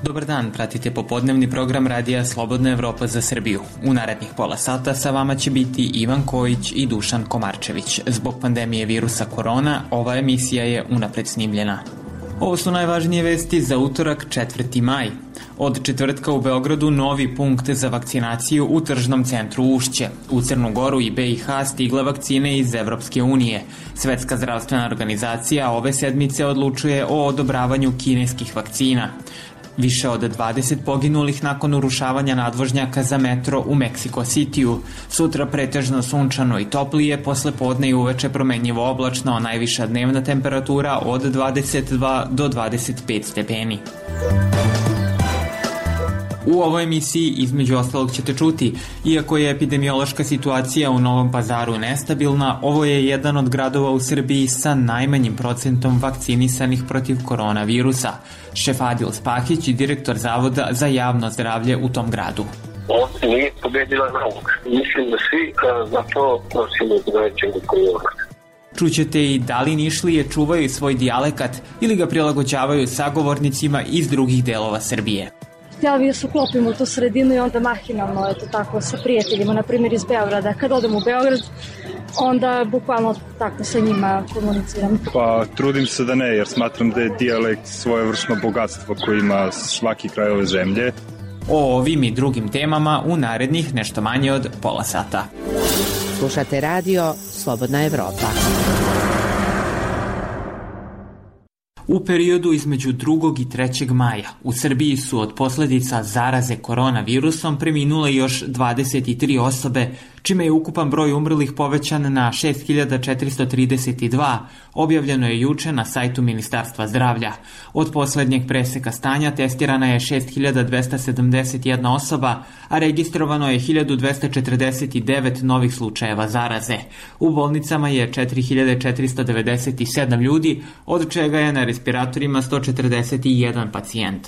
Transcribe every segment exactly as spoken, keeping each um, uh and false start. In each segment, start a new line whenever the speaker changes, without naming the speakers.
Dobar dan, pratite popodnevni program radija Slobodna Evropa za Srbiju. U narednih pola sata sa vama će biti Ivan Kojić i Dušan Komarčević. Zbog pandemije virusa korona, ova emisija je unapred snimljena. Ovo su najvažnije vesti za utorak četvrti maj. Od četvrtka u Beogradu novi punkt za vakcinaciju u tržnom centru Ušće. U Crnu Goru i be i ha stigle vakcine iz Evropske unije. Svetska zdravstvena organizacija ove sedmice odlučuje o odobravanju kineskih vakcina. Više od dvadeset poginulih nakon urušavanja nadvožnjaka za metro u Meksiko Cityu. Sutra pretežno sunčano i toplije, posle podne i uveče promenjivo oblačno, najviša dnevna temperatura od dvadeset dva do dvadeset pet stepeni. U ovoj emisiji između ostalog ćete čuti, iako je epidemiološka situacija u Novom Pazaru nestabilna, ovo je jedan od gradova u Srbiji sa najmanjim procentom vakcinisanih protiv koronavirusa. Šefadil Spahić i direktor Zavoda za javno zdravlje u tom gradu.
Ovdje nije pobedila nauka. Mislim da svi za to nosimo odgovarajućeg odgovornosti.
Čućete i da li Nišlije čuvaju svoj dijalekat ili ga prilagođavaju sagovornicima iz drugih delova Srbije.
Htjela bih da se uklopim u tu sredinu i onda mahinalno, eto tako, sa prijateljima, na primjer iz Beograda. Kad odem u Beograd, onda bukvalno tako sa njima komuniciram.
Pa trudim se da ne, jer smatram da je dijalekt svojevrsno bogatstvo koje ima svaki kraj ove zemlje.
O ovim i drugim temama u narednih nešto manje od pola sata.
Slušate radio Slobodna Evropa.
U periodu između drugog i trećeg maja u Srbiji su od posledica zaraze koronavirusom preminule još dvadeset tri osobe, čime je ukupan broj umrlih povećan na šest hiljada četiristo trideset dva, objavljeno je juče na sajtu Ministarstva zdravlja. Od poslednjeg preseka stanja testirana je šest hiljada dvesta sedamdeset jedna osoba, a registrovano je hiljadu dvesta četrdeset devet novih slučajeva zaraze. U bolnicama je četiri hiljade četiristo devedeset sedam ljudi, od čega je na respiratorima sto četrdeset jedan pacijent.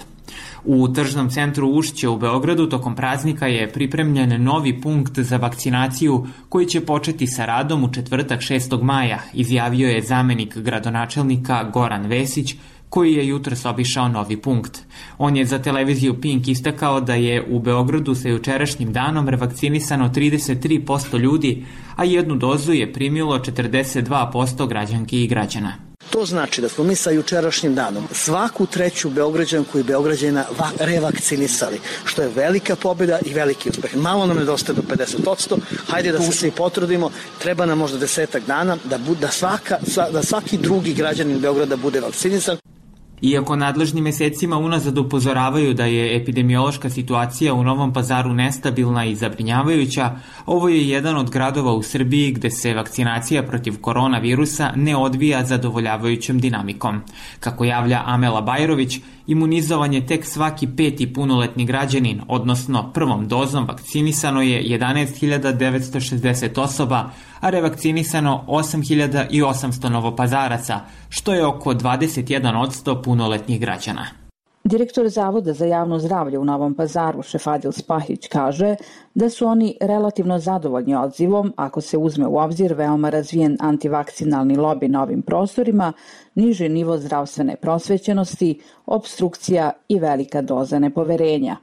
U tržnom centru Ušće u Beogradu tokom praznika je pripremljen novi punkt za vakcinaciju koji će početi sa radom u četvrtak šestog maja, izjavio je zamenik gradonačelnika Goran Vesić, koji je jutros obišao novi punkt. On je za televiziju Pink istakao da je u Beogradu sa jučerašnjim danom revakcinisano trideset tri posto ljudi, a jednu dozu je primilo četrdeset dva posto građanki i građana.
To znači da smo mi sa jučerašnjim danom svaku treću Beograđanku i Beograđana revakcinisali, što je velika pobjeda i veliki uspeh. Malo nam nedostaje do pedeset posto, hajde da se svi potrudimo, treba nam možda desetak dana da, bu, da, svaka, da svaki drugi građanin Beograda bude vakcinisan.
Iako nadležni mesecima unazad upozoravaju da je epidemiološka situacija u Novom Pazaru nestabilna i zabrinjavajuća, ovo je jedan od gradova u Srbiji gde se vakcinacija protiv koronavirusa ne odvija zadovoljavajućom dinamikom. Kako javlja Amela Bajrović, imunizovan je tek svaki peti punoletni građanin, odnosno prvom dozom vakcinisano je jedanaest hiljada devetsto šezdeset osoba, a revakcinisano osam hiljada osamsto novopazaraca, što je oko dvadeset jedan posto punoletnih građana.
Direktor Zavoda za javno zdravlje u Novom Pazaru, Šefadil Spahić, kaže da su oni relativno zadovoljni odzivom ako se uzme u obzir veoma razvijen antivakcinalni lobi na ovim prostorima, niži nivo zdravstvene prosvećenosti, obstrukcija i velika doza nepoverenja.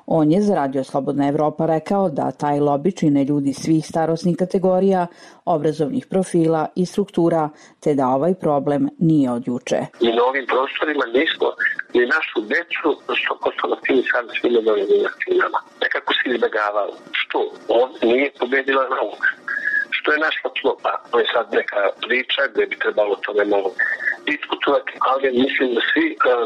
On je za Radio Slobodna Evropa rekao da taj lobi čine ljudi svih starosnih kategorija, obrazovnih profila i struktura, te da ovaj problem nije od juče.
I na ovim prostorima nismo ni našu decu sto posto vakcinisali svim novim vakcinama. Nekako se izbjegavalo. Što? Ovdje nije pobedila nauka. Što je naša tlopa? To je sad neka priča gde bi trebalo tome malo diskutovati, ali mislim da svi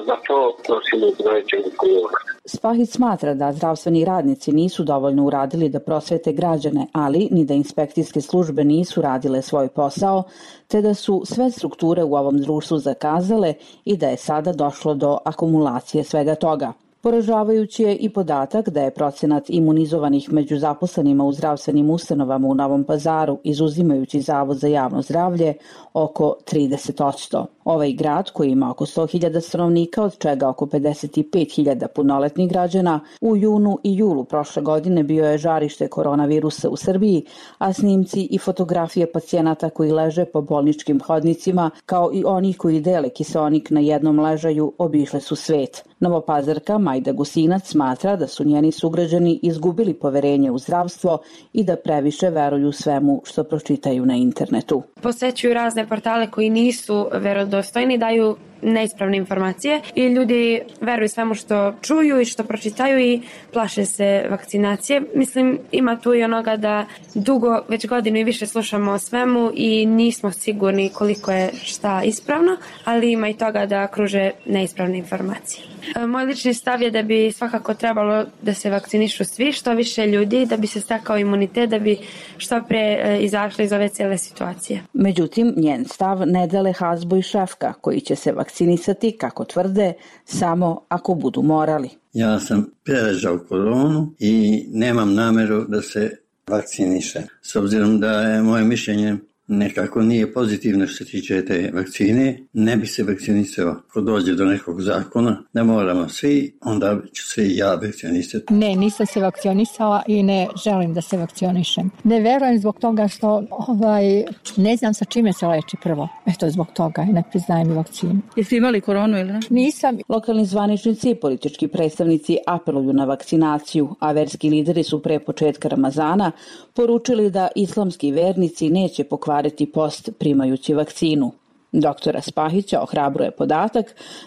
za to nosimo odgovarajućeg odgovornosti.
Spahić smatra da zdravstveni radnici nisu dovoljno uradili da prosvete građane, ali ni da inspekcijske službe nisu radile svoj posao, te da su sve strukture u ovom društvu zakazale i da je sada došlo do akumulacije svega toga. Poražavajući je i podatak da je procenat imunizovanih među zaposlenima u zdravstvenim ustanovama u Novom Pazaru, izuzimajući Zavod za javno zdravlje, oko trideset posto. Ovaj grad, koji ima oko sto hiljada stanovnika, od čega oko pedeset pet hiljada punoletnih građana, u junu i julu prošle godine bio je žarište koronavirusa u Srbiji, a snimci i fotografije pacijenata koji leže po bolničkim hodnicima, kao i onih koji dele kiseonik na jednom ležaju, obišle su svet. Novopazarka Majda Gusinac smatra da su njeni sugrađani izgubili poverenje u zdravstvo i da previše veruju svemu što pročitaju na internetu.
Posećuju razne portale koji nisu verodostojni, daju neispravne informacije i ljudi veruju svemu što čuju i što pročitaju i plaše se vakcinacije. Mislim, ima tu i onoga da dugo, već godinu i više slušamo o svemu i nismo sigurni koliko je šta ispravno, ali ima i toga da kruže neispravne informacije. Moj lični stav je da bi svakako trebalo da se vakcinišu svi, što više ljudi, da bi se stekao imunitet, da bi što pre izašli iz ove cijele situacije.
Međutim, njen stav ne dele Hazbo i Šefka, koji će se vakcinisati, kako tvrde, samo ako budu morali.
Ja sam preležao koronu i nemam nameru da se vakciniše. S obzirom da je moje mišljenje nekako nije pozitivno što se tiče te vakcine, ne bi se vakcinisao. Ako dođe do nekog zakona, da moramo svi, onda ću se i ja vakcinisati.
Ne, nisam se vakcinisala i ne želim da se vakcionišem. Ne verujem zbog toga što ovaj, ne znam sa čime se leči prvo. Eto, zbog toga ne priznajem i vakcinu.
Jeste imali koronu ili ne?
Nisam.
Lokalni zvaničnici i politički predstavnici apeluju na vakcinaciju, a verski lideri su pre početka Ramazana poručili da islamski vernici neće pokvariti post primajući vakcinu. Doktora Spahića ohrabruje podatak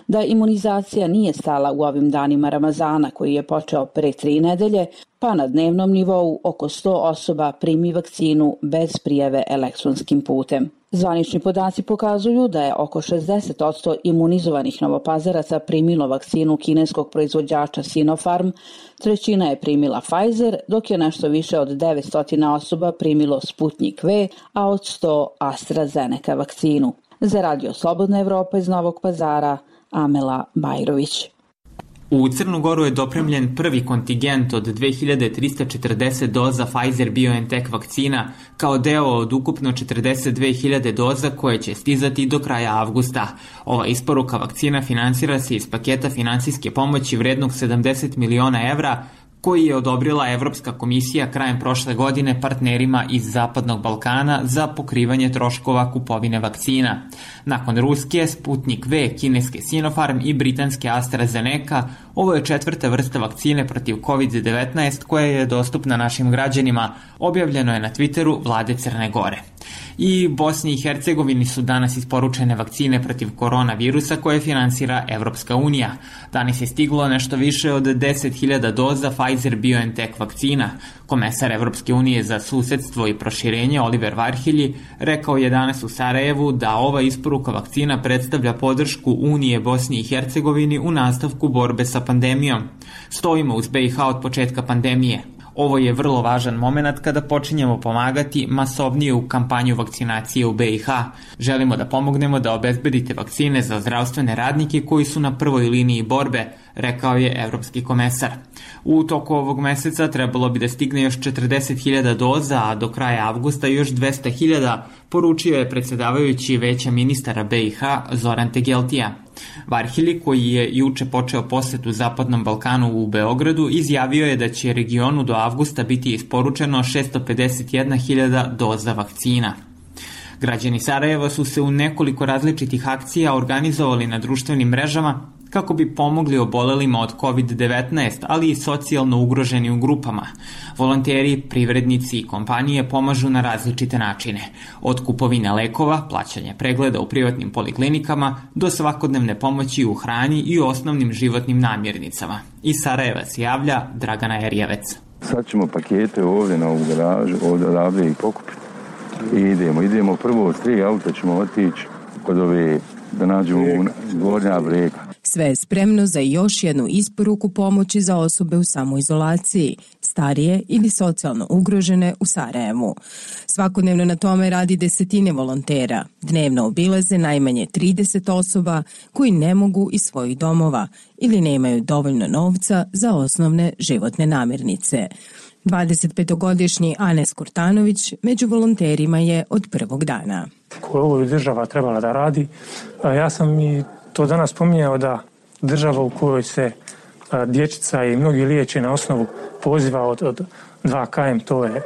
da imunizacija nije stala u ovim danima Ramazana, koji je počeo pre tri nedelje, pa na dnevnom nivou oko sto osoba primi vakcinu bez prijave elektronskim putem. Zvanični podaci pokazuju da je oko šezdeset posto imunizovanih Novopazaraca primilo vakcinu kineskog proizvođača Sinopharm, trećina je primila Pfizer, dok je nešto više od devetsto osoba primilo Sputnik V, a od sto AstraZeneca vakcinu. Za Radio Slobodna Evropa iz Novog Pazara, Amela Bajrović.
U Crnu Goru je dopremljen prvi kontingent od dve hiljade trista četrdeset doza Pfizer-BioNTech vakcina kao deo od ukupno četrdeset dve hiljade doza koje će stizati do kraja avgusta. Ova isporuka vakcina finansira se iz paketa finansijske pomoći vrednog sedamdeset miliona evra koji je odobrila Evropska komisija krajem prošle godine partnerima iz Zapadnog Balkana za pokrivanje troškova kupovine vakcina. Nakon ruske Sputnik V, kineske Sinopharm i britanske AstraZeneca, ovo je četvrta vrsta vakcine protiv kovid devetnaest koja je dostupna našim građanima, objavljeno je na Twitteru vlade Crne Gore. I Bosni i Hercegovini su danas isporučene vakcine protiv koronavirusa koje finansira Evropska unija. Danas je stiglo nešto više od deset hiljada doza Pfizer-BioNTech vakcina. Komesar Evropske unije za susedstvo i proširenje Oliver Varhelyi rekao je danas u Sarajevu da ova isporuka vakcina predstavlja podršku Unije Bosni i Hercegovini u nastavku borbe sa pandemijom. Stojimo uz B i H od početka pandemije. Ovo je vrlo važan moment kada počinjemo pomagati masovniju kampanju vakcinacije u B i H. Želimo da pomognemo da obezbedite vakcine za zdravstvene radnike koji su na prvoj liniji borbe, rekao je evropski komesar. U toku ovog meseca trebalo bi da stigne još četrdeset hiljada doza, a do kraja avgusta još dvesta hiljada, poručio je predsjedavajući Veća ministara B i H Zoran Tegeltija. Varhelyi, koji je juče počeo posetu Zapadnom Balkanu u Beogradu, izjavio je da će regionu do avgusta biti isporučeno šesto pedeset jedna hiljada doza vakcina. Građani Sarajeva su se u nekoliko različitih akcija organizovali na društvenim mrežama kako bi pomogli obolelima od kovid devetnaest, ali i socijalno ugroženim grupama. Volonteri, privrednici i kompanije pomažu na različite načine. Od kupovine lekova, plaćanja pregleda u privatnim poliklinikama, do svakodnevne pomoći u hrani i osnovnim životnim namirnicama. Iz Sarajeva se javlja Dragana Erjevec.
Sad ćemo pakete ovdje na ovu garažu, ovdje odavde i pokupiti. I idemo, idemo prvo s tri auta ćemo otići kod ove, da nađemo gornja brega.
Sve je spremno za još jednu isporuku pomoći za osobe u samoizolaciji, starije ili socijalno ugrožene u Sarajevu. Svakodnevno na tome radi desetine volontera. Dnevno obilaze najmanje trideset osoba koji ne mogu iz svojih domova ili nemaju dovoljno novca za osnovne životne namirnice. dvadesetpetogodišnji Anes Kurtanović među volonterima je od prvog dana.
Koje ovo je država trebala da radi. Ja sam i to danas spominjao da država u kojoj se dječica i mnogi liječe na osnovu poziva od, od dva kilometra, to je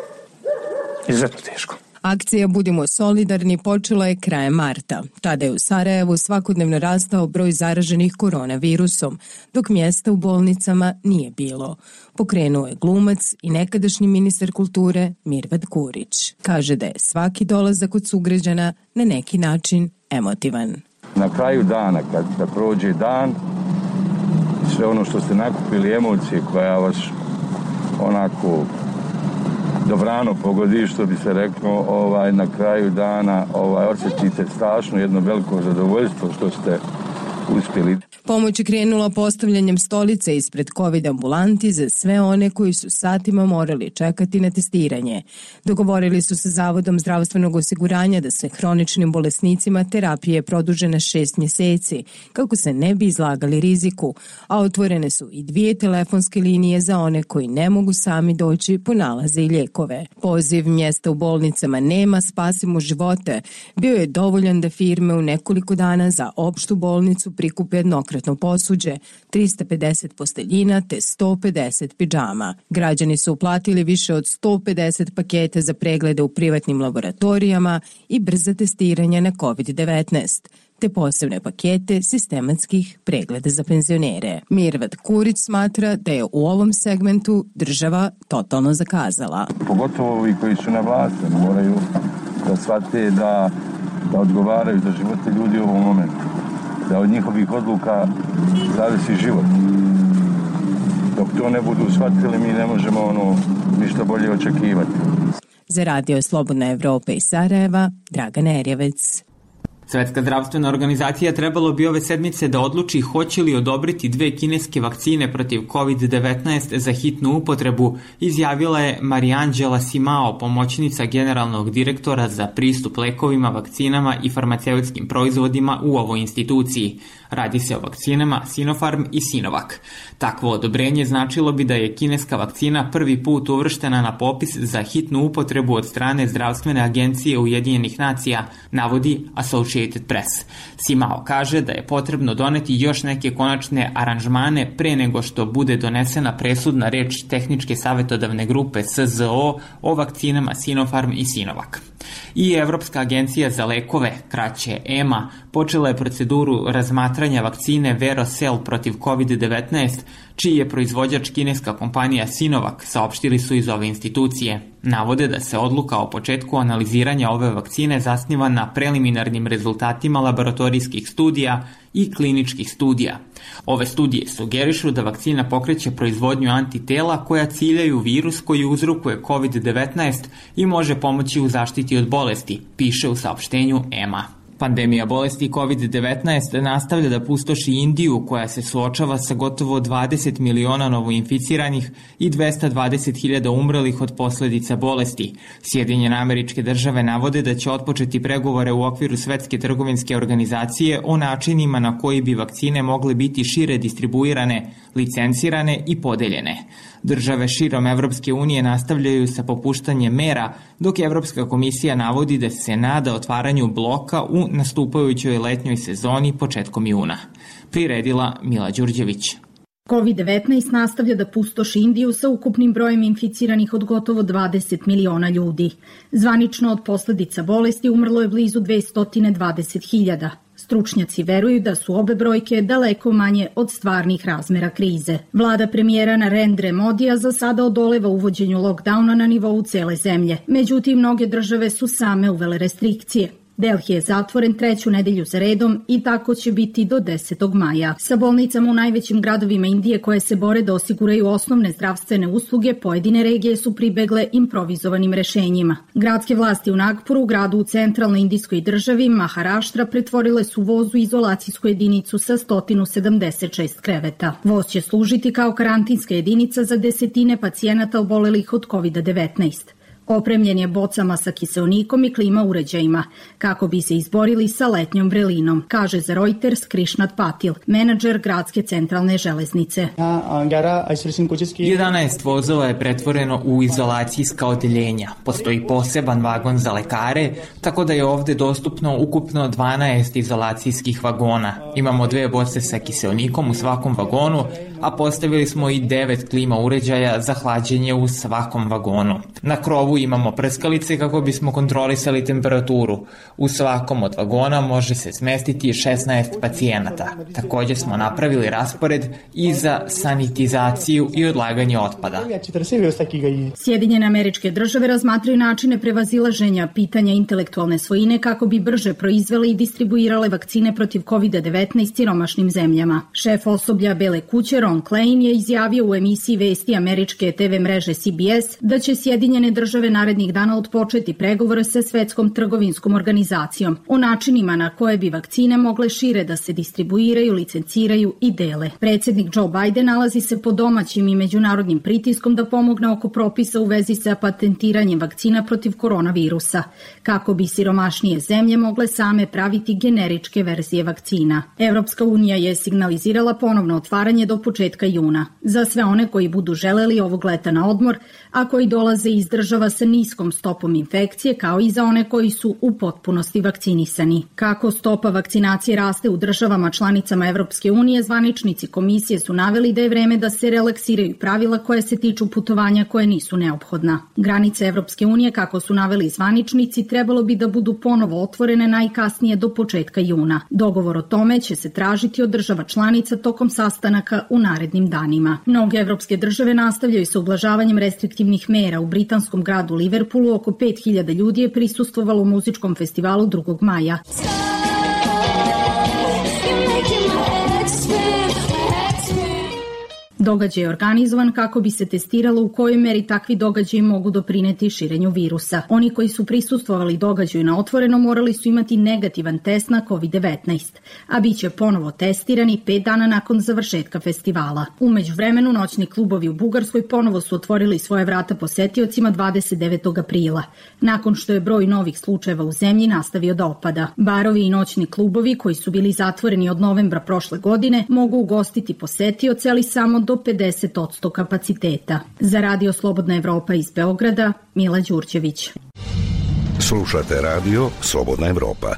izuzetno teško.
Akcija Budimo solidarni počela je krajem marta. Tada je u Sarajevu svakodnevno rastao broj zaraženih koronavirusom, dok mjesta u bolnicama nije bilo. Pokrenuo je glumac i nekadašnji ministar kulture Mirvad Kurić. Kaže da je svaki dolazak od sugrađana na neki način emotivan.
Na kraju dana, kad da prođe dan, sve ono što ste nakupili, emocije koja vas onako dobrano pogodi, što bi se reklo, ovaj, na kraju dana ovaj, osjetite strašno jedno veliko zadovoljstvo što ste uspjeli.
Pomoć je krenula postavljanjem stolice ispred COVID ambulanti za sve one koji su satima morali čekati na testiranje. Dogovorili su se Zavodom zdravstvenog osiguranja da se hroničnim bolesnicima terapije produže na šest mjeseci, kako se ne bi izlagali riziku, a otvorene su i dvije telefonske linije za one koji ne mogu sami doći po nalaze i lijekove. Poziv mjesta u bolnicama nema, spasimo živote bio je dovoljan da firme u nekoliko dana za opštu bolnicu prikupe jednokratno posuđe, trista pedeset posteljina te sto pedeset pidžama. Građani su uplatili više od sto pedeset paketa za preglede u privatnim laboratorijama i brza testiranja na COVID devetnaest, te posebne pakete sistematskih pregleda za penzionere. Mirvad Kurić smatra da je u ovom segmentu država totalno zakazala.
Pogotovo ovi koji su na vlasti moraju da shvate da, da odgovaraju za živote ljudi u ovom momentu. Da od njihovih odluka zavisi život. Dok to ne budu shvatili, mi ne možemo ono ništa bolje očekivati.
Za Radio Slobodna Evropa iz Sarajeva, Dragana Erjevec.
Svetska zdravstvena organizacija trebalo bi ove sedmice da odluči hoće li odobriti dve kineske vakcine protiv COVID devetnaest za hitnu upotrebu, izjavila je Mariangela Simao, pomoćnica generalnog direktora za pristup lekovima, vakcinama i farmaceutskim proizvodima u ovoj instituciji. Radi se o vakcinama Sinopharm i Sinovac. Takvo odobrenje značilo bi da je kineska vakcina prvi put uvrštena na popis za hitnu upotrebu od strane Zdravstvene agencije Ujedinjenih nacija, navodi Associated Press. Simao kaže da je potrebno doneti još neke konačne aranžmane pre nego što bude donesena presudna reč Tehničke savjetodavne grupe S Z O o vakcinama Sinopharm i Sinovac. I Evropska agencija za lekove, kraće E M A, počela je proceduru razmatranja vakcine Verocell protiv COVID devetnaest, čiji je proizvođač kineska kompanija Sinovac, saopštili su iz ove institucije. Navode da se odluka o početku analiziranja ove vakcine zasniva na preliminarnim rezultatima laboratorijskih studija i kliničkih studija. Ove studije sugerišu da vakcina pokreće proizvodnju antitela koja ciljaju virus koji uzrokuje COVID devetnaest i može pomoći u zaštiti od bolesti, piše u saopštenju E M A. Pandemija bolesti COVID devetnaest nastavlja da pustoši Indiju, koja se suočava sa gotovo dvadeset miliona novoinficiranih i dvesta dvadeset hiljada umrlih od posljedica bolesti. Sjedinjene Američke Države navode da će otpočeti pregovore u okviru Svetske trgovinske organizacije o načinima na koji bi vakcine mogle biti šire distribuirane, licencirane i podeljene. Države širom Evropske unije nastavljaju sa popuštanjem mera, dok Evropska komisija navodi da se nada otvaranju bloka u nastupajućoj letnjoj sezoni početkom juna. Priredila Mila Đurđević.
COVID devetnaest nastavlja da pustoši Indiju sa ukupnim brojem inficiranih od gotovo dvadeset miliona ljudi. Zvanično od posljedica bolesti umrlo je blizu dvesta dvadeset hiljada. Stručnjaci veruju da su obe brojke daleko manje od stvarnih razmera krize. Vlada premijera Narendre Modija za sada odoleva uvođenju lockdowna na nivou cele zemlje. Međutim, mnoge države su same uvele restrikcije. Delhi je zatvoren treću nedelju za redom i tako će biti do desetog maja. Sa bolnicama u najvećim gradovima Indije koje se bore da osiguraju osnovne zdravstvene usluge, pojedine regije su pribegle improvizovanim rešenjima. Gradske vlasti u Nagpuru, gradu u centralnoj indijskoj državi, Maharaštra, pretvorile su voz u izolacijsku jedinicu sa sto sedamdeset šest kreveta. Voz će služiti kao karantinska jedinica za desetine pacijenata obolelih od kovid devetnaest. Opremljen je bocama sa kiseonikom i klima uređajima, kako bi se izborili sa letnjom vrelinom, kaže za Reuters Krishnat Patil, menadžer gradske centralne železnice.
jedanaest vozova je pretvoreno u izolacijska odeljenja. Postoji poseban vagon za lekare, tako da je ovde dostupno ukupno dvanaest izolacijskih vagona. Imamo dve boce sa kiseonikom u svakom vagonu, a postavili smo i devet klima uređaja za hlađenje u svakom vagonu. Na krovu imamo prskalice kako bismo kontrolisali temperaturu. U svakom od vagona može se smestiti šesnaest pacijenata. Također smo napravili raspored i za sanitizaciju i odlaganje otpada.
Sjedinjene Američke Države razmatraju načine prevazilaženja pitanja intelektualne svojine kako bi brže proizvele i distribuirale vakcine protiv kovid devetnaest siromašnim zemljama. Šef osoblja Bele kuće Ron Klain je izjavio u emisiji vesti američke te ve mreže C B S da će Sjedinjene Države narednih dana odpočeti pregovore sa Svetskom trgovinskom organizacijom o načinima na koje bi vakcine mogle šire da se distribuiraju, licenciraju i dele. Predsjednik Joe Biden nalazi se pod domaćim i međunarodnim pritiskom da pomogne oko propisa u vezi sa patentiranjem vakcina protiv koronavirusa, kako bi siromašnije zemlje mogle same praviti generičke verzije vakcina. Evropska unija je signalizirala ponovno otvaranje do početka juna. Za sve one koji budu želeli ovog leta na odmor, a koji dolaze iz država sa niskom stopom infekcije, kao i za one koji su u potpunosti vakcinisani. Kako stopa vakcinacije raste u državama članicama Evropske unije, zvaničnici komisije su naveli da je vreme da se relaksiraju pravila koje se tiču putovanja koje nisu neophodna. Granice Evropske unije, kako su naveli zvaničnici, trebalo bi da budu ponovo otvorene najkasnije do početka juna. Dogovor o tome će se tražiti od država članica tokom sastanaka u narednim danima. Mnoge evropske države nastavljaju sa ublažavanjem restriktivnih mera. U britanskom gradu Liverpoolu oko pet hiljada ljudi je prisustvovalo muzičkom festivalu drugog maja. Događaj je organizovan kako bi se testiralo u kojoj meri takvi događaji mogu doprineti širenju virusa. Oni koji su prisustvovali događaju na otvoreno morali su imati negativan test na kovid devetnaest, a bit će ponovo testirani pet dana nakon završetka festivala. U međuvremenu noćni klubovi u Bugarskoj ponovo su otvorili svoje vrata posetiocima dvadeset devetog aprila, nakon što je broj novih slučajeva u zemlji nastavio da opada. Barovi i noćni klubovi koji su bili zatvoreni od novembra prošle godine mogu ugostiti posetioce, ali samo do pedeset posto kapaciteta. Za Radio Slobodna Evropa iz Beograda, Mila Đurđević.
Slušate Radio Slobodna Evropa.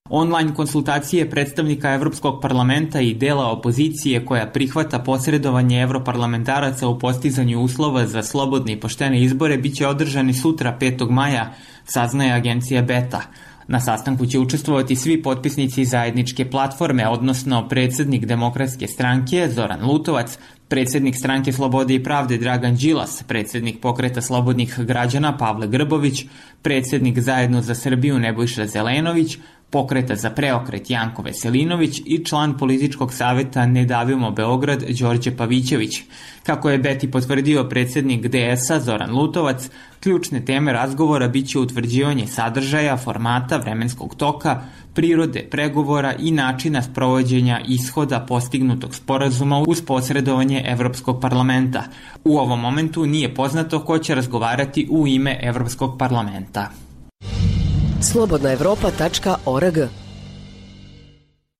Online konsultacije predstavnika Evropskog parlamenta i dela opozicije koja prihvata posredovanje evroparlamentaraca u postizanju uslova za slobodne i poštene izbore biće održani sutra petog maja, saznaje agencija Beta. Na sastanku će učestvovati svi potpisnici zajedničke platforme, odnosno predsjednik Demokratske stranke Zoran Lutovac, predsjednik Stranke Slobode i pravde Dragan Đilas, predsjednik Pokreta slobodnih građana Pavle Grbović, predsjednik Zajedno za Srbiju Nebojša Zelenović, Pokreta za preokret Janko Veselinović i član političkog saveta Ne davimo Beograd Đorđe Pavićević. Kako je Beti potvrdio predsjednik D S-a Zoran Lutovac, ključne teme razgovora biće utvrđivanje sadržaja, formata, vremenskog toka, prirode pregovora i načina sprovođenja ishoda postignutog sporazuma uz posredovanje Evropskog parlamenta. U ovom momentu nije poznato ko će razgovarati u ime Evropskog parlamenta.
slobodna evropa tačka org.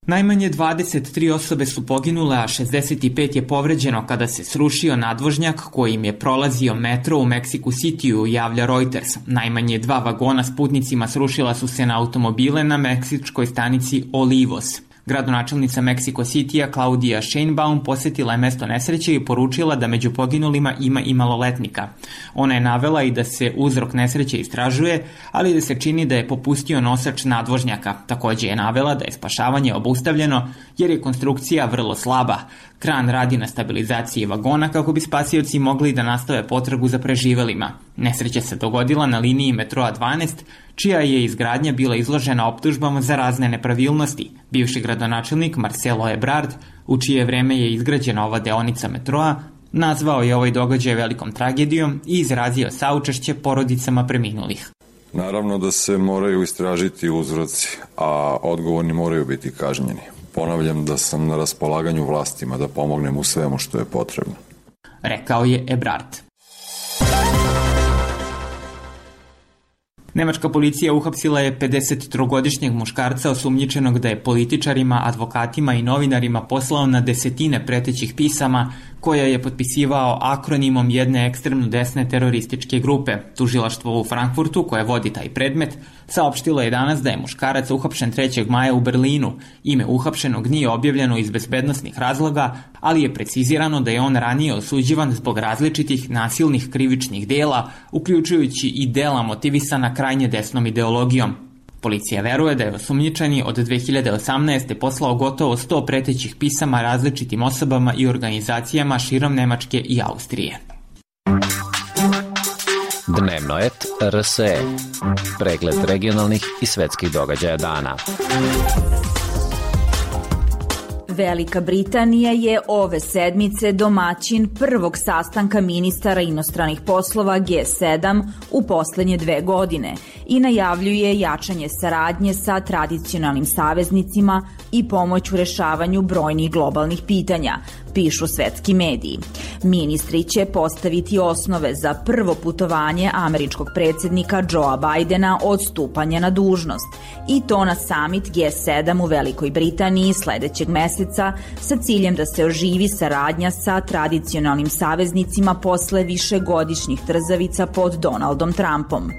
Najmanje dvadeset tri osobe su poginule, a šezdeset pet je povređeno kada se srušio nadvožnjak kojim je prolazio metro u Mexico Cityu, javlja Reuters. Najmanje dva vagona s putnicima srušila su se na automobile na meksičkoj stanici Olivos. Gradonačelnica Mexico Citya Claudia Sheinbaum posjetila je mesto nesreće i poručila da među poginulima ima i maloletnika. Ona je navela i da se uzrok nesreće istražuje, ali da se čini da je popustio nosač nadvožnjaka. Također je navela da je spašavanje obustavljeno jer je konstrukcija vrlo slaba. Kran radi na stabilizaciji vagona kako bi spasioci mogli da nastave potragu za preživelima. Nesreća se dogodila na liniji metroa dvanaest, čija je izgradnja bila izložena optužbama za razne nepravilnosti. Bivši gradonačelnik Marcelo Ebrard, u čije vreme je izgrađena ova deonica metroa, nazvao je ovaj događaj velikom tragedijom i izrazio saučešće porodicama preminulih.
Naravno da se moraju istražiti uzroci, a odgovorni moraju biti kažnjeni. Ponavljam da sam na raspolaganju vlastima da pomognem u svemu što je potrebno.
Rekao je Ebrard. Nemačka policija uhapsila je pedesettrogodišnjeg muškarca osumnjičenog da je političarima, advokatima i novinarima poslao na desetine pretećih pisama koja je potpisivao akronimom jedne ekstremno desne terorističke grupe. Tužilaštvo u Frankfurtu, koje vodi taj predmet, saopštilo je danas da je muškarac uhapšen trećeg maja u Berlinu. Ime uhapšenog nije objavljeno iz bezbednosnih razloga, ali je precizirano da je on ranije osuđivan zbog različitih nasilnih krivičnih dela, uključujući i dela motivisana krajnje desnom ideologijom. Policija veruje da je osumnjičeni od dve hiljade osamnaeste. poslao gotovo sto pretećih pisama različitim osobama i organizacijama širom Nemačke i Austrije.
Dnevno et R S E. Pregled regionalnih i svetskih događaja dana.
Velika Britanija je ove sedmice domaćin prvog sastanka ministara inostranih poslova G sedam u poslednje dve godine i najavljuje jačanje saradnje sa tradicionalnim saveznicima i pomoć u rešavanju brojnih globalnih pitanja, pišu svetski mediji. Ministri će postaviti osnove za prvo putovanje američkog predsjednika Joea Bidena od stupanja na dužnost i to na summit G sedam u Velikoj Britaniji sledećeg meseca sa ciljem da se oživi saradnja sa tradicionalnim saveznicima posle višegodišnjih trzavica pod Donaldom Trumpom.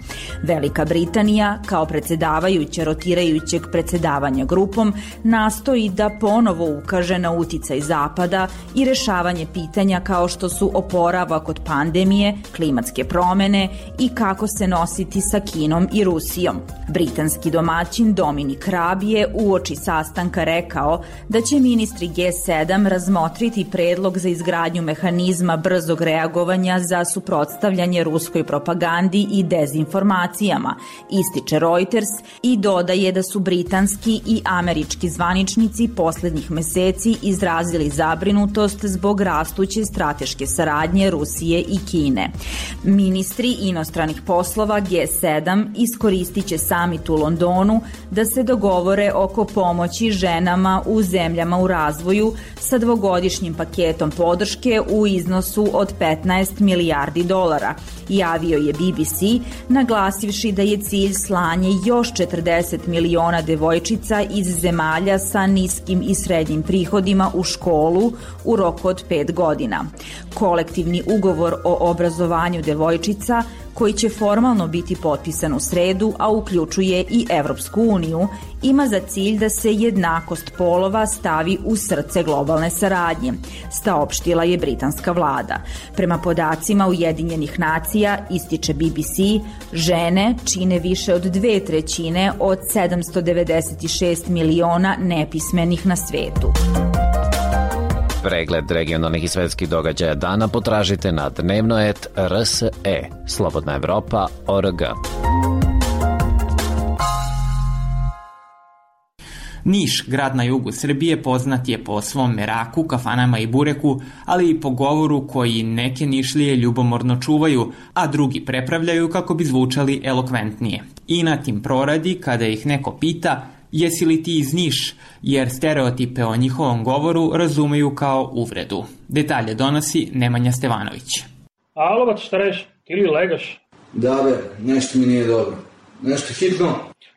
Velika Britanija, kao predsedavajuća rotirajućeg predsedavanja grupom, nastoji da ponovo ukaže na uticaj Zapada i rešavanje pitanja kao što su oporavak od pandemije, klimatske promene i kako se nositi sa Kinom i Rusijom. Britanski domaćin Dominic Raab je uoči sastanka rekao da će ministri G sedam razmotriti predlog za izgradnju mehanizma brzog reagovanja za suprotstavljanje ruskoj propagandi i dezinformacijama, ističe Reuters i dodaje da su britanski i američki zvaničnici poslednjih meseci izrazili zabrinutost zbog rastuće strateške saradnje Rusije i Kine. Ministri inostranih poslova G sedam iskoristit će samit u Londonu da se dogovore oko pomoći ženama u zemljama u razvoju sa dvogodišnjim paketom podrške u iznosu od petnaest milijardi dolara, javio je B B C, naglasivši da je cilj slanje još četrdeset miliona devojčica iz zemalja sa niskim i srednjim prihodima u školu u roku od pet godina. Kolektivni ugovor o obrazovanju devojčica, koji će formalno biti potpisan u sredu, a uključuje i Evropsku uniju, ima za cilj da se jednakost polova stavi u srce globalne saradnje, saopštila je britanska vlada. Prema podacima Ujedinjenih nacija, ističe B B C, žene čine više od dve trećine od sedamsto devedeset šest miliona nepismenih na svetu.
Pregled regionalnih i svetskih događaja dana potražite na dnevno et R S E, Slobodna Evropa O R G.
Niš, grad na jugu Srbije, poznat je po svom meraku, kafanama i bureku, ali i po govoru koji neke Nišlije ljubomorno čuvaju, a drugi prepravljaju kako bi zvučali elokventnije. I na tim proradi, kada ih neko pita jesi li ti iz Niš, jer stereotipe o njihovom govoru razumeju kao uvredu. Detalje donosi Nemanja Stevanović.
Alo, bat, šta reš? Ti li legaš?
Da, be, nešto mi nije dobro. Nešto hitno?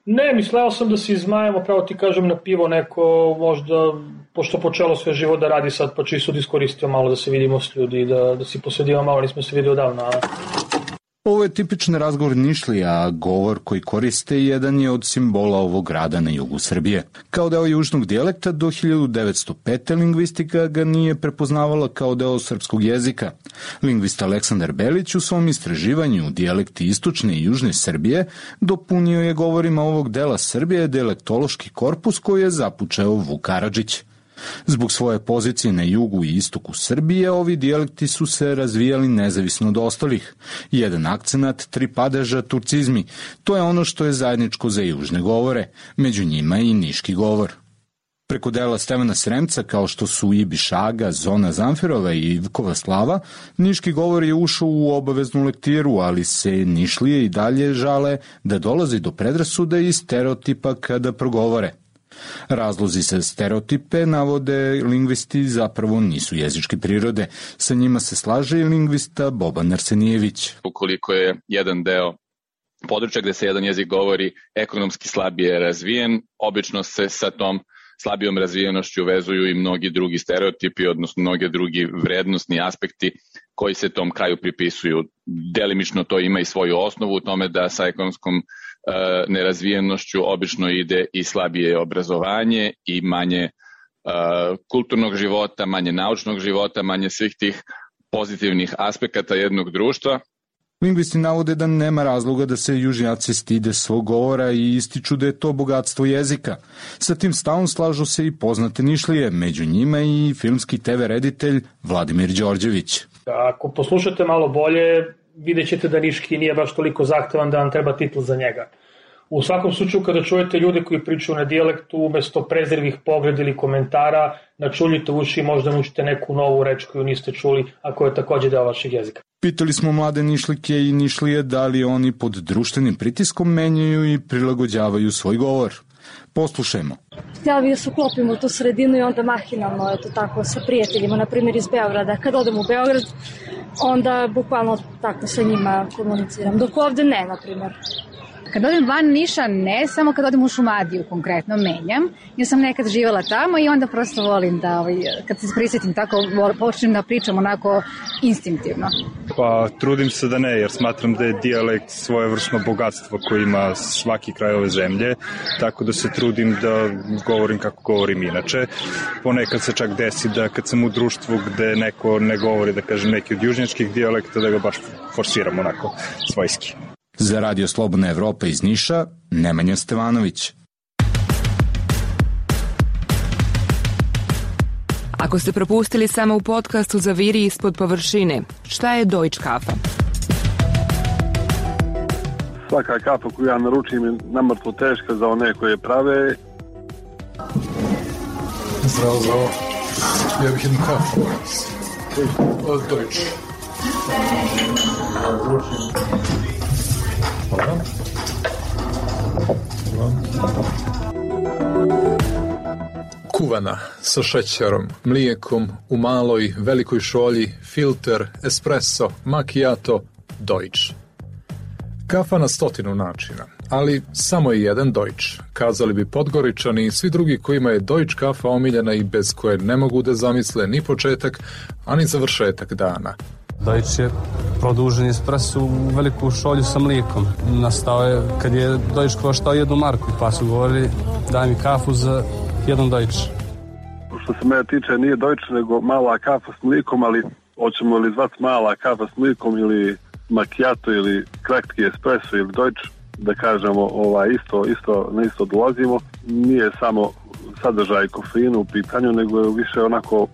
Ne, misleo sam da se izmajemo, pravo ti kažem, na pivo neko, možda, pošto počelo sve živo da radi sad, pa čisto da iskoristio malo da se vidimo s ljudi, da, da si posvedimo malo, nismo se vidio davno.
Ovo je tipičan razgovor Nišlija, a govor koji koriste jedan je od simbola ovog grada na jugu Srbije. Kao deo južnog dijalekta, do hiljadu devetsto pete. lingvistika ga nije prepoznavala kao deo srpskog jezika. Lingvista Aleksandar Belić u svom istraživanju dijalekti istočne i južne Srbije dopunio je govorima ovog dela Srbije dijalektološki korpus koji je započeo Vuk Karadžić. Zbog svoje pozicije na jugu i istoku Srbije, ovi dijalekti su se razvijali nezavisno od ostalih. Jedan akcenat, tri padeža, turcizmi. To je ono što je zajedničko za južne govore, među njima i niški govor. Preko dela Stevana Sremca, kao što su Ibi Šaga, Zona Zamfirova i Ivkova Slava, niški govor je ušao u obaveznu lektiru, ali se Nišlije i dalje žale da dolazi do predrasuda i stereotipa kada progovore. Razlozi sa stereotipe, navode lingvisti, zapravo nisu jezičke prirode. Sa njima se slaže i lingvista Boban Arsenijević.
Ukoliko je jedan deo područja gde se jedan jezik govori ekonomski slabije razvijen, obično se sa tom slabijom razvijenošću vezuju i mnogi drugi stereotipi, odnosno mnoge drugi vrednostni aspekti koji se tom kraju pripisuju. Delimično to ima i svoju osnovu u tome da sa ekonomskom uh, nerazvijenošću obično ide i slabije obrazovanje i manje uh, kulturnog života, manje naučnog života, manje svih tih pozitivnih aspekata jednog društva.
Lingvisti navode da nema razloga da se južnjaci stide svog govora i ističu da je to bogatstvo jezika. Sa tim stavom slažu se i poznate Nišlije, među njima i filmski te ve reditelj Vladimir Đorđević.
Ako poslušate malo bolje, vidjet ćete da niški nije baš toliko zahtevan da vam treba titl za njega. U svakom slučaju, kada čujete ljude koji pričaju na dijalektu, umesto prezirvih pogleda ili komentara, načuljite uši i možda naučite neku novu reč koju niste čuli, a koja je takođe deo vašeg jezika.
Pitali smo mlade Nišlike i Nišlije da li oni pod društvenim pritiskom menjaju i prilagođavaju svoj govor. Poslušajmo.
Htjela bih da se uklopim u tu sredinu i onda mahinalno, eto tako, sa prijateljima, na primjer iz Beograda. Kad odem u Beograd, onda bukvalno tako sa njima komuniciram. Dok ovde ne, na primjer.
Kad odem van Niša, ne, samo kad odem u Šumadiju konkretno menjam. Ja sam nekad živjela tamo i onda prosto volim da, ovaj, kad se prisjetim tako, počnem da pričam onako instinktivno.
Pa trudim se da ne, jer smatram da je dijalekt svojevrsno bogatstvo koje ima svaki kraj ove zemlje, tako da se trudim da govorim kako govorim inače. Ponekad se čak desi da kad sam u društvu gde neko ne govori, da kažem, neki od južnjačkih dijalekta, da ga baš forsiram onako svojski.
Za Radio Slobodna Evropa iz Niša, Nemanja Stevanović.
Ako ste propustili samo u podcastu Zaviri ispod površine, šta je Deutsche Kafa?
Svaka kafa koju ja naručim je namrtvo teška za one koje prave.
Zdravo, zdravo. Ja bih jednu kafu. Od Deutsche. Hvala. Kuvana sa šećerom, mlijekom, u maloj, velikoj šolji, filter, espresso, macchiato, Deutsche. Kafa na stotinu načina, ali samo je jedan Deutsche. Kazali bi Podgoričani i svi drugi kojima je Deutsche kafa omiljena i bez koje ne mogu da zamisle ni početak, ani završetak dana.
Deutsche je produžen espresso u veliku šolju sa mlijekom. Nastao je kad je Deutsche koštao jednu marku, pa su govorili daj mi kafu za jedan Deutsche.
Što se mene tiče nije Deutsche nego mala kafa s mlijekom, ali hoćemo li zvati mala kafa s mlijekom ili macchiato ili kratki espresso ili Deutsche, da kažemo ovaj, isto, isto, na isto dolazimo. Nije samo sadržaj kofeina u pitanju, nego je više onako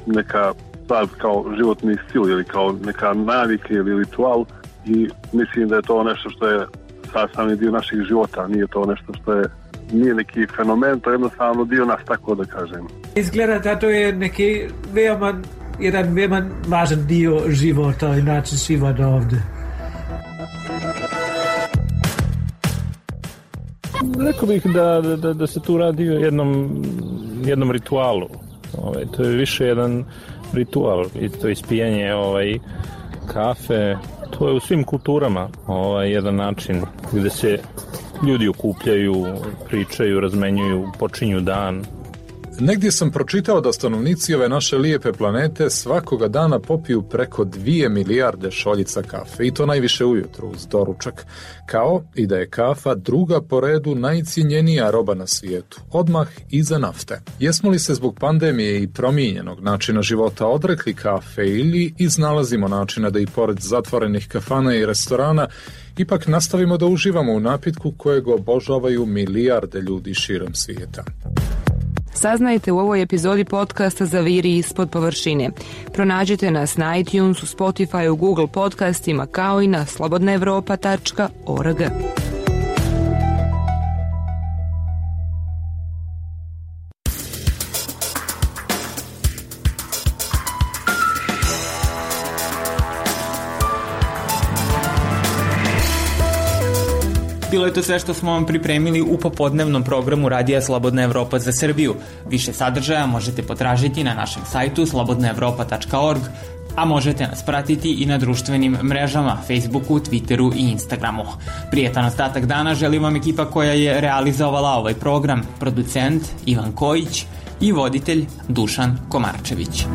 neka stvar kao životni stil ili kao neka navika ili ritual i mislim da je to nešto što je sastavni dio naših života, nije to nešto što je nije neki fenomen, to je jednostavno dio nas, tako da kažem.
Izgleda da to je neki veoma, jedan veoma važan dio života i način života ovde.
Rekao bih da, da, da se tu radi o jednom, jednom ritualu. Ovaj, to je više jedan ritual i to ispijanje ovaj, kafe. To je u svim kulturama ovaj, jedan način gde se ljudi okupljaju, pričaju, razmenjuju, počinju dan.
Negdje sam pročitao da stanovnici ove naše lijepe planete svakoga dana popiju preko dvije milijarde šoljica kafe i to najviše ujutru uz doručak, kao i da je kafa druga po redu najcijenjenija roba na svijetu, odmah iza nafte. Jesmo li se zbog pandemije i promijenjenog načina života odrekli kafe ili iznalazimo načina da i pored zatvorenih kafana i restorana ipak nastavimo da uživamo u napitku kojeg obožavaju milijarde ljudi širom svijeta?
saznajte u ovoj epizodi podcasta Zaviri ispod površine. Pronađite nas na iTunesu, Spotify, Google podcastima kao i na slobodna evropa tačka org.
Bilo je to sve što smo vam pripremili u popodnevnom programu Radija Slobodna Evropa za Srbiju. Više sadržaja možete potražiti na našem sajtu slobodna evropa tačka org, a možete nas pratiti i na društvenim mrežama, Facebooku, Twitteru i Instagramu. Prijetan ostatak dana želim vam ekipa koja je realizovala ovaj program, producent Ivan Kojić i voditelj Dušan Komarčević.